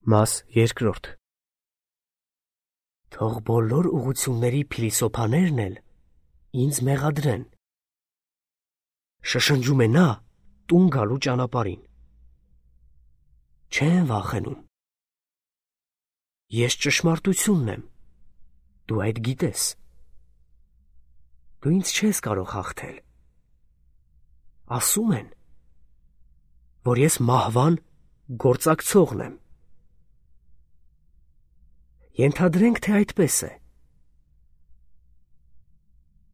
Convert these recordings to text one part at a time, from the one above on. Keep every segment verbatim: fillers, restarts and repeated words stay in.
Մաս երկրորդ Թող բոլոր ուղղությունների փիլիսոփաներն էլ ինձ մեղադրեն։ Շշնջում է նա տուն գալու ճանապարհին։ Չեն վախենում։ Ես ճշմարտությունն եմ, դու այդ գիտես։ Դու ինձ չես կարող հաղթել։ Ասում են, որ ես մահվան գործակցողն եմ։ Ենթադրենք, թե այդպես է։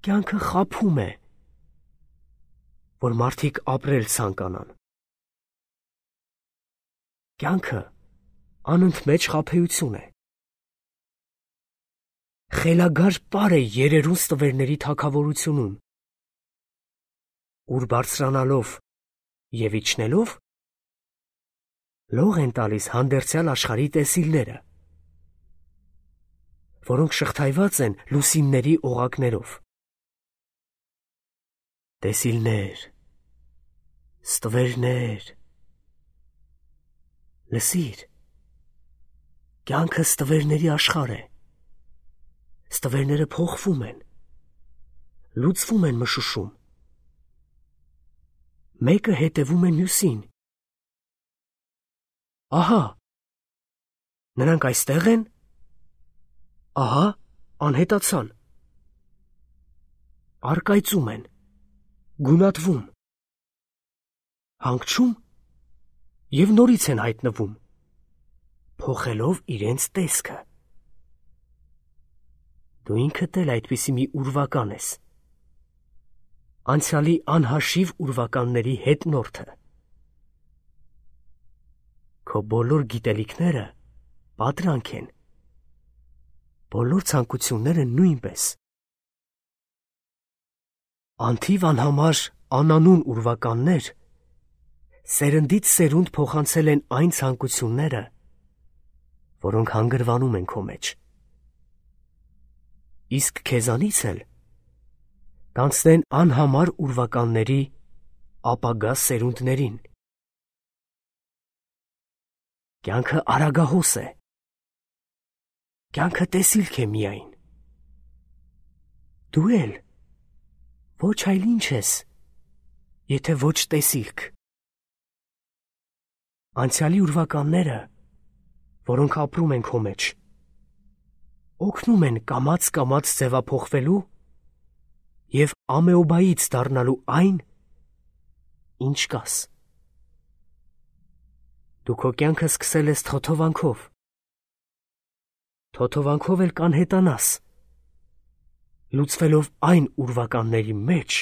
Կյանքը խաբում է, որ մարդիկ ապրել ցանկանան։ Կյանքը անընդմեջ խաբեություն է։ Խելագար պար է երերուն ստվերների թագավորությունում, ուր բարձրանալով և իջնելով լող են տալիս հանդերձյալ աշխարհի տեսիլները, որոնք շղթայված են լուսինների օղակներով։ Տեսիլներ, ստվերներ, լսիր, կյանքը ստվերների աշխարհ է։ Ստվերները փոխվում են, լուծվում են մշուշում։ Մեկը հետևում է մյուսին։ Ահա, նրանք այստեղ են, ահա, անհետացան։ Առկայծում են, գունատվում, հանգչում և նորից են հայտնվում, փոխելով իրենց տեսքը։ Դու ինքդ էլ այդպիսի մի ուրվական ես, անցյալի անհաշիվ ուրվականների հետնորդը։ Քո բոլոր գիտելիքները պատրանք են, բոլոր ցանկությունները նույնպես։ Անթիվ անհամար անանուն ուրվականներ սերնդից սերունդ փոխանցել են այն ցանկությունները, որոնք հանգրվանում են քո մեջ։ Իսկ քեզանից էլ կանցնեն անհամար ուրվականների ապագա սերունդներին։ Կյանքը արագահոս է։ Կյանքը տեսիլք է միայն։ Դու էլ ոչ այլ ինչ ես, եթե ոչ տեսիլք։ Անցյալի ուրվականները, որոնք ապրում են քո մեջ, օգնում են կամաց-կամաց ձևափոխվելու և ամեոբայից դառնալու այն, ինչ կաս։ Դու քո կյանքը սկսել ես թոթովանքով, թոթովանքով էլ կանհետանաս, լուծվելով այն ուրվականների մեջ,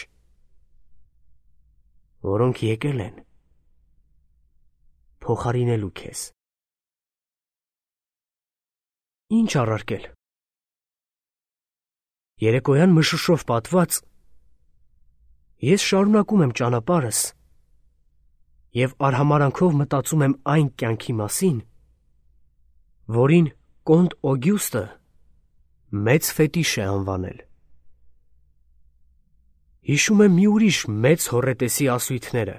որոնք եկել են փոխարինելու քեզ։ Ինչ առարկել։ Երեկոյան մշուշով պատված, ես շարունակում եմ ճանապարհս և արհամարանքով մտածում եմ այն կյանքի մասին, որին Կոնտ Օգյուստը մեծ ֆետիշ է անվանել։ Հիշում եմ մի ուրիշ մեծ հոռետեսի ասույթները։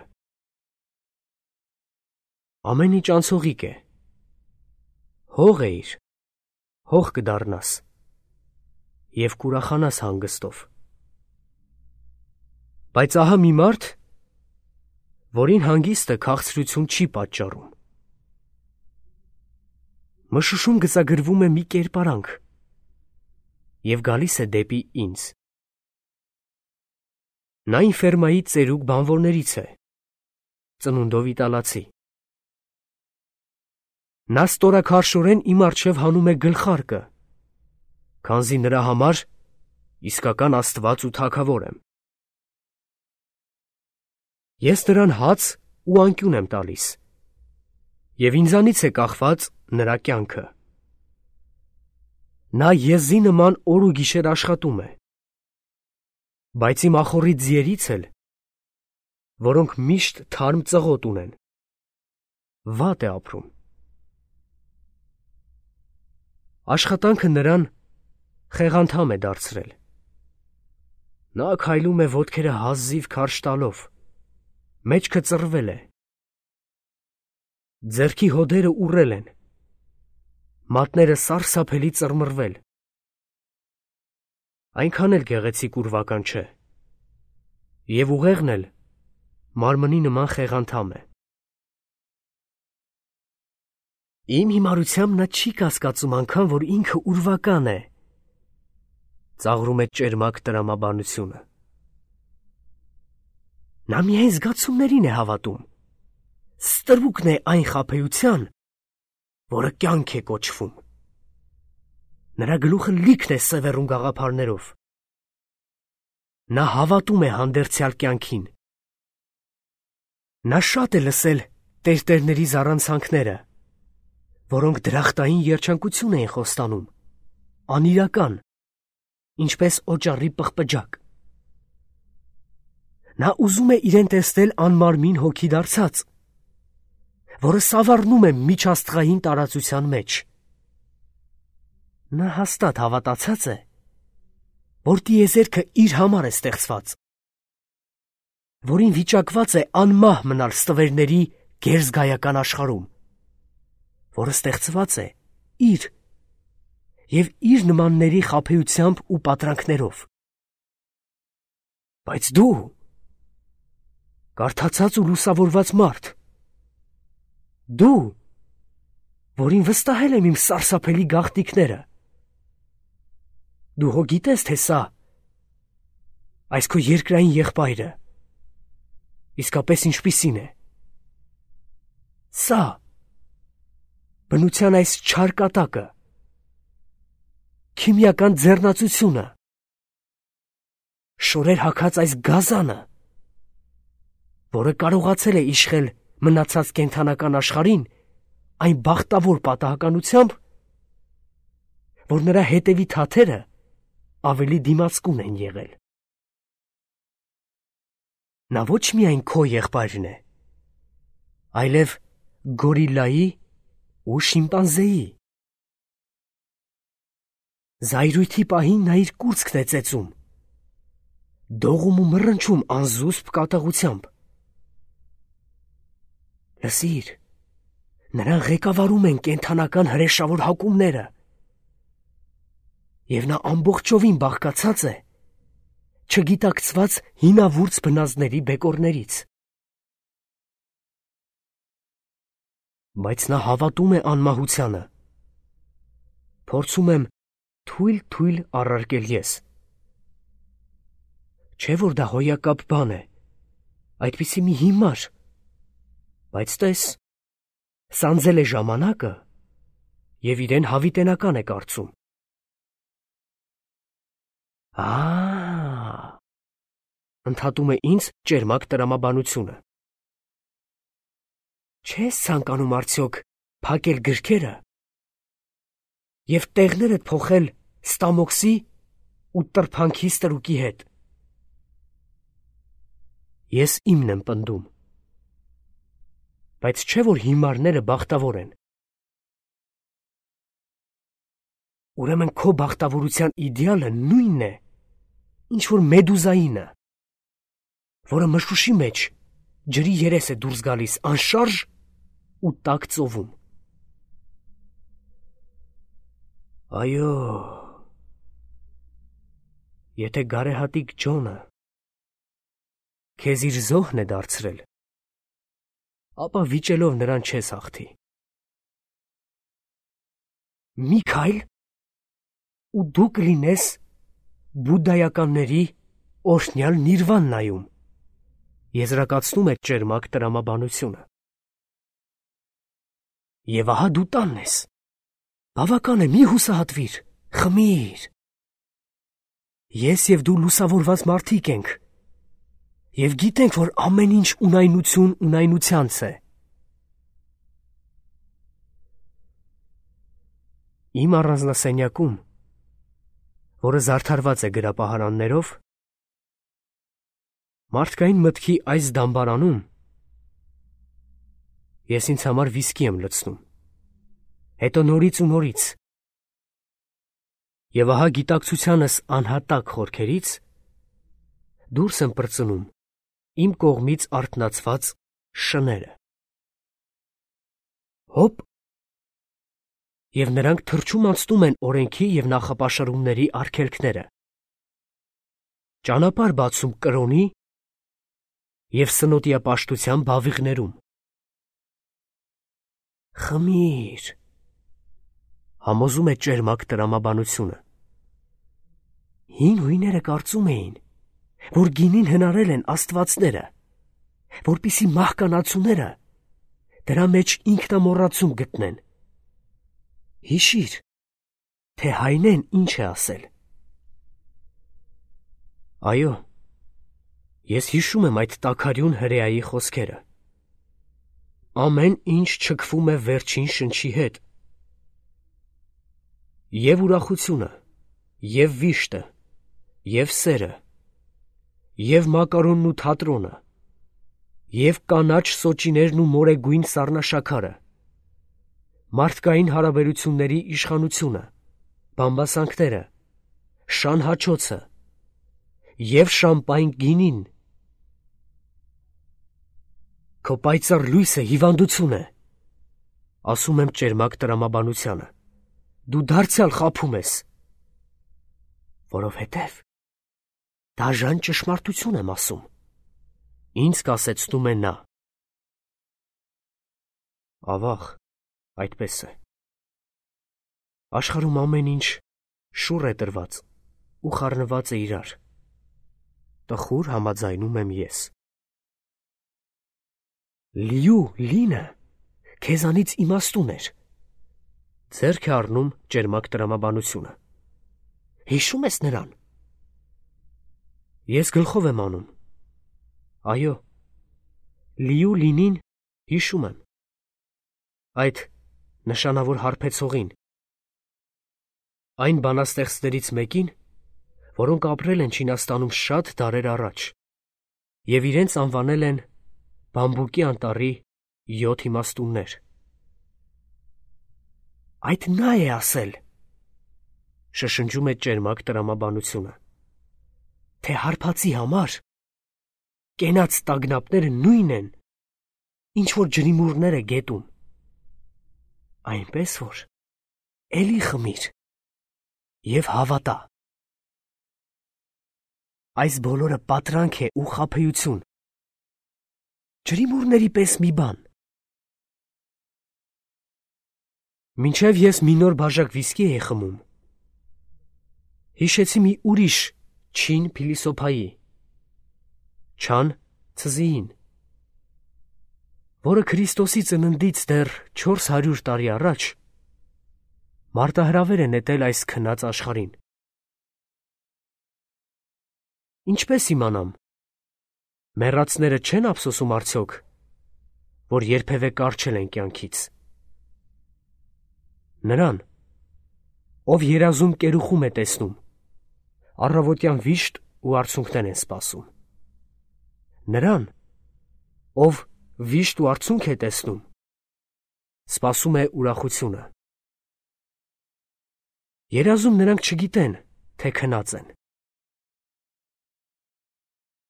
Ամեն ինչ անցողիկ է։ Հող էիր, հող կդառնաս և կուրախանաս հանգստով։ Բայց ահա մի մարդ, որին հանգիստը քաղցրություն չի պատճառում։ Մշուշում գծագրվում է մի կերպարանք և գալիս է դեպի ինձ։ Նա ինֆերմայի ծերուկ բանվորներից է, ծնունդով իտալացի։ Նա ստորաքարշորեն իմ առջև հանում է գլխարկը, քանզի նրա համար իսկական աստված ու թագավոր եմ։ Ես նրան հաց ու անկյուն եմ տալիս, և ինձանից է կախված նրա կյանքը։ Նա եզի նման օր ու գիշեր աշխատում է, բայց իմ ախոռի ձիերից էլ, որոնք միշտ թարմ ծղոտ ունեն, վատ է ապրում։ Աշխատանքը նրան խեղանդհամ է դարձրել։ Նա քայլում է ոտքերը հազիվ քարշ տալով, մեջքը ծռվել է։ Ձեռքի հոդերը ուռել են, մատները սարսափելի ծռմռվել։ Այնքան էլ գեղեցիկ ուրվական չէ, և ուղեղն էլ մարմնի նման խեղանթամ է։ Իմ հիմարությամբ նա չի կասկածում անգամ, որ ինքը ուրվական է, ծաղրում է ճերմակ տրամաբանությունը։ Նա միայն զգացումներին է հավատում, ստրուկն է այն խաբեության, որը կյանք է կոչվում։ Նրա գլուխը լիքն է սևեռում գաղափարներով։ Նա հավատում է հանդերձյալ կյանքին։ Նա շատ է լսել տերտերների զառանցանքները, որոնք դրախտային երջանկություն էին խոստանում, անիրական, ինչպես օճառի պղպջակ։ Նա ուզում է իրեն տեսնել անմարմին հոգի դարձած, որը սավառնում է միջաստղային տարածության մեջ։ Նա հաստատ հավատացած է, որ տիեզերքը իր համար է ստեղծված, որին վիճակված է անմահ մնալ ստվերների գերզգայական աշխարհում, որը ստեղծված է իր և իր նմանների խաբեությամբ ու պատրանքներով։ Բայց դու, կարդացած ու լուսավորված մարդ, դու, որին վստահել եմ իմ սարսափելի գաղտնիքները, դու հո գիտես, թե սա, այս քո երկրային եղբայրը, իսկապես ինչպիսին է։ Սա, բնության այս չար կատակը, քիմիական ձեռնացությունը, շորեր հագած այս գազանը, որը կարողացել է իշխել մնացած կենդանական աշխարհին այն բախտավոր պատահականությամբ, որ նրա հետևի թաթերը ավելի դիմացկուն են եղել։ Նա ոչ միայն քո եղբայրն է, այլև գորիլայի ու շիմպանզեի։ Զայրույթի պահին նա իր կուրծքն է ծեծում, դողում ու մռնչում անզուսպ կատաղությամբ։ Լսիր, նրան ղեկավարում են կենդանական հրեշավոր հակումները, և նա ամբողջովին բաղկացած է չգիտակցված հինավուրց բնազդների բեկորներից։ Բայց նա հավատում է անմահությանը։ Փորձում եմ թույլ-թույլ առարկել ես։ Չէ՞ որ դա հոյակապ բան է, այդպիսի մի հիմար, բայց տես, սանձել է ժամանակը և իրեն հավիտենական է կարծում։ Ա՜, ընդհատում է ինձ ճերմակ տրամաբանությունը։ Չես ցանկանում արդյոք փակել գրքերը և տեղներդ փոխել Ստամոքսի ու Տրփանքի ստրուկի հետ։ Ես իմն եմ պնդում, բայց չէ՞ որ հիմարները բախտավոր են։ Ուրեմն քո բախտավորության իդեալը նույնն է, ինչ որ Մեդուզայինը, որը մշուշի մեջ ջրի երես է դուրս գալիս անշարժ ու տաք ծովում։ Այո, եթե գարեհատիկ Ջոնը քեզ իր զոհն է դարձրել, ապա վիճելով նրան չես հաղթի։ Մի քայլ, ու դու կլինես բուդդայականների օրհնյալ Նիրվաննայում, եզրակացնում է ճերմակ տրամաբանությունը։ Եվ ահա դու տանն ես։ Բավական է, մի հուսահատվիր, խմիր։ Ես և դու լուսավորված մարդիկ ենք, և գիտենք, որ ամեն ինչ ունայնություն ունայնությանց է։ Իմ առանձնասենյակում, որը զարդարված է գրապահարաններով, մարդկային մտքի այս դամբարանում, ես ինձ համար վիսկի եմ լցնում, հետո նորից ու նորից, և ահա գիտակցությանս անհատակ խորքերից դուրս եմ պրծնում իմ կողմից արթնացված շները։ Հոպ, և նրանք թռչում անցնում են օրենքի և նախապաշարումների արգելքները, ճանապարհ բացում կրոնի և սնոտիապաշտության բավիղներում։ Խմիր, համոզում է ճերմակ տրամաբանությունը։ Հին հույները կարծում էին, որ գինին հնարել են աստվածները, որպեսզի մահկանացուները դրա մեջ ինքնամոռացում գտնեն։ Հիշիր, թե Հայնեն ինչ է ասել։ Այո, ես հիշում եմ այդ տաքարյուն հրեայի խոսքերը։ Ամեն ինչ չքվում է վերջին շնչի հետ։ Եվ ուրախությունը, և վիշտը, և սերը, և մակարոնն ու թատրոնը, և կանաչ սոճիներն ու մորեգույն սառնաշաքարը, մարդկային հարաբերությունների իշխանությունը, բամբասանքները, շան հաչոցը և շամպայն գինին։ Քո պայծառ լույսը հիվանդություն է, ասում եմ ճերմակ տրամաբանությանը, դու դարձյալ խաբում ես, որովհետև դաժան ճշմարտություն եմ ասում, ինձ կասեցնում է նա։ Ավաղ, այդպես է։ Աշխարհում ամեն ինչ շուռ է տրված ու խառնված է իրար, տխուր համաձայնում եմ ես։ Լիու լինը քեզանից իմաստուն էր, ձեռք է առնում ճերմակ տրամաբանությունը։ Հիշում ես նրան։ Ես գլխով եմ անում։ Այո, Լիու լինին հիշում եմ։ Այդ նշանավոր հարբեցողին, այն բանաստեղծներից մեկին, որոնք ապրել են Չինաստանում շատ դարեր առաջ և իրենց անվանել են Բամբուկի անտառի յոթ իմաստուններ։ Այդ նա է ասել, շշնջում է ճերմակ տրամաբանությունը, թե հարբածի համար կենաց տագնապները նույնն են, ինչ որ ջրիմուռները գետում, այնպես որ էլի խմիր և հավատա։ Այս բոլորը պատրանք է ու խաբեություն, ջրիմուռների պես մի բան։ Մինչև ես մի նոր բաժակ վիսկի էի խմում, հիշեցի մի ուրիշ չին փիլիսոփայի, Չան Ցզիին, որը Քրիստոսի ծննդից դեռ չորս հարյուր տարի առաջ մարտահրավեր է նետել այս քնած աշխարհին։ Ինչպես իմանամ, մեռածները չեն ափսոսում արդյոք, որ երբևէ կառչել են կյանքից։ Նրան, ով երազում կերուխում է տեսնում, առավոտյան վիշտ ու արցունքներ են սպասում։ Նրան, ով վիշտ ու արցունք է տեսնում, սպասում է ուրախությունը։ Երազում նրանք չգիտեն, թե քնած են։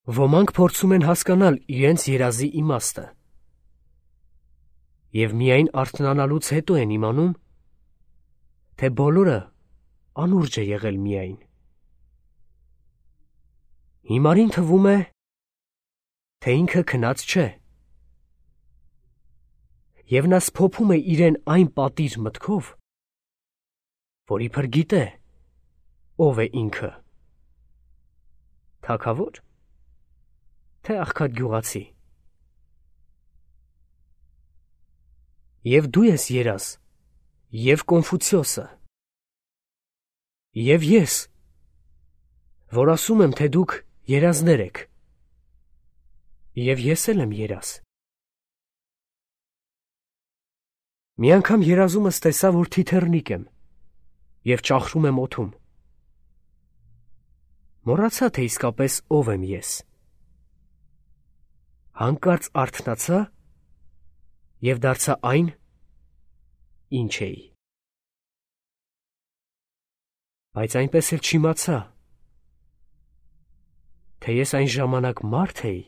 Ոմանք փորձում են հասկանալ իրենց երազի իմաստը և միայն արթնանալուց հետո են իմանում, թե բոլորը անուրջ է եղել միայն։ Հիմարին թվում է, թե ինքը քնած չէ, և նա սփոփում է իրեն այն պատիր մտքով, որ իբր գիտե, ով է ինքը, թագավոր, թե աղքատ գյուղացի։ Եվ դու ես երազ, և Կոնֆուցիոսը, և ես, որ ասում եմ, թե դուք երազներ եք, և ես էլ եմ երազ։ Մի անգամ երազումս տեսա, որ թիթեռնիկ եմ և ճախրում եմ օդում։ Մոռացա, թե իսկապես ով եմ ես։ Հանկարծ արթնացա և դարձա այն, ինչ էի։ Բայց այնպես էլ չիմացա, թե ես այն ժամանակ մարդ էի,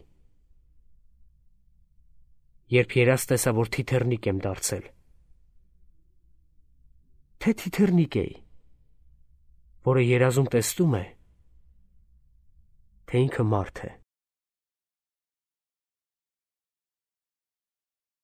երբ երազ տեսա, որ թիթեռնիկ եմ դարձել։ թե թիթեռնիկ էի, որը երազում տեսնում է, թե ինքը մարդ է։